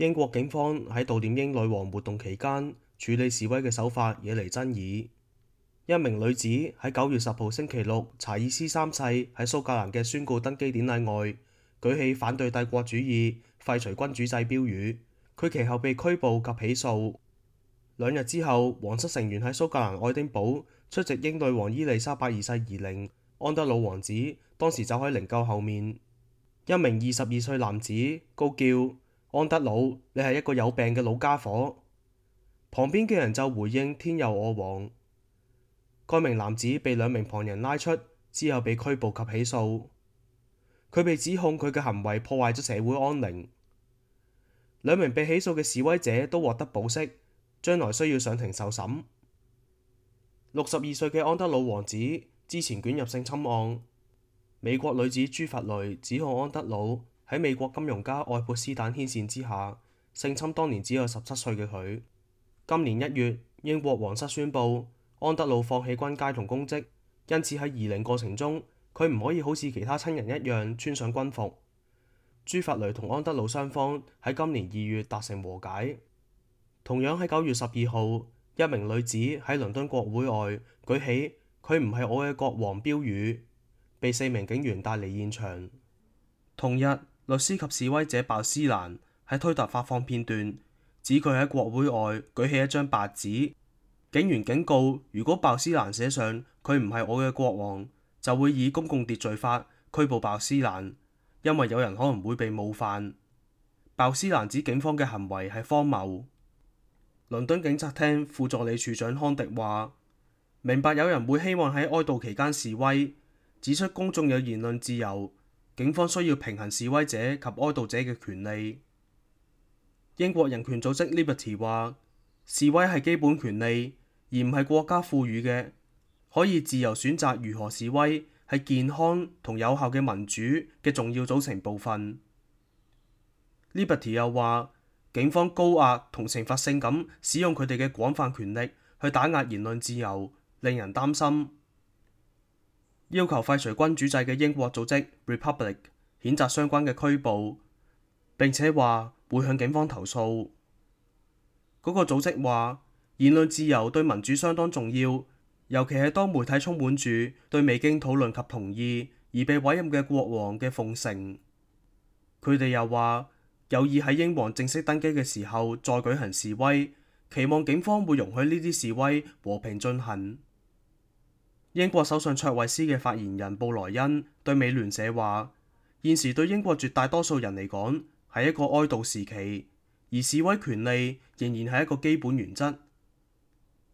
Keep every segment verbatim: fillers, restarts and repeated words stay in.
英國警方喺悼念英女王活動期間處理示威嘅手法惹嚟爭議。一名女子喺九月十號星期六查爾斯三世喺蘇格蘭嘅宣告登基典禮外舉起反對帝國主義、廢除君主制標語，佢其後被拘捕及起訴。兩日之後，皇室成員喺蘇格蘭愛丁堡出席英女王伊麗莎白二世兒陵，安德魯王子當時走喺靈柩後面。一名二十二歲男子高叫：安德魯，你係一個有病嘅老家伙。旁邊嘅人就回應：天佑我王。該名男子被兩名旁人拉出之後被拘捕及起訴，佢被指控佢嘅行為破壞咗社會安寧。兩名被起訴嘅示威者都獲得保釋，將來需要上庭受審。六十二歲嘅安德魯王子之前捲入性侵案，美國女子朱弗雷指控安德魯喺美國金融家愛潑斯坦牽線之下性侵當年只有十七歲嘅佢。今年一月，英國皇室宣布安德魯放棄軍階同公職，因此喺移靈過程中，佢唔可以好似其他親人一樣穿上軍服。朱弗雷同安德魯雙方喺今年二月達成和解。同樣喺九月十二號，一名女子喺倫敦國會外舉起佢唔係我嘅國王標語，被四名警員帶離現場。同日，律師及示威者鮑斯蘭喺推特發放片段，指佢喺國會外舉起一張白紙。警員警告，如果鮑斯蘭寫上佢唔係我嘅國王，就會以公共秩序法拘捕鮑斯蘭，因為有人可能會被冒犯。鮑斯蘭指警方嘅行為係荒謬。倫敦警察廳副助理處長康迪話：明白有人會希望喺哀悼期間示威，指出公眾有言論自由，警方需要平衡示威者及哀悼者嘅權利。英國人權組織 Liberty 話：示威係基本權利，而唔係國家賦予嘅，可以自由選擇如何示威，係健康同有效嘅民主嘅重要組成部分。Liberty 又話，警方高壓同懲罰性咁使用佢哋嘅廣泛權力去打壓言論自由，令人擔心。要求廢除君主制嘅英國組織 Republic 譴責相關嘅拘捕，並且話會向警方投訴。嗰個組織話，言論自由對民主相當重要，尤其係當媒體充滿住對未經討論及同意而被委任嘅國王嘅奉承。佢哋又話有意喺英皇正式登基嘅時候再舉行示威，期望警方會容許呢啲示威和平進行。英國首相卓慧思嘅發言人布萊恩對美聯社話：現時對英國絕大多數人嚟講係一個哀悼時期，而示威權利仍然係一個基本原則。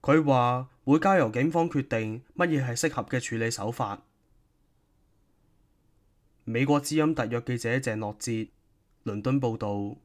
佢話會交由警方決定乜嘢係適合嘅處理手法。美國之音特約記者鄭諾哲，倫敦報導。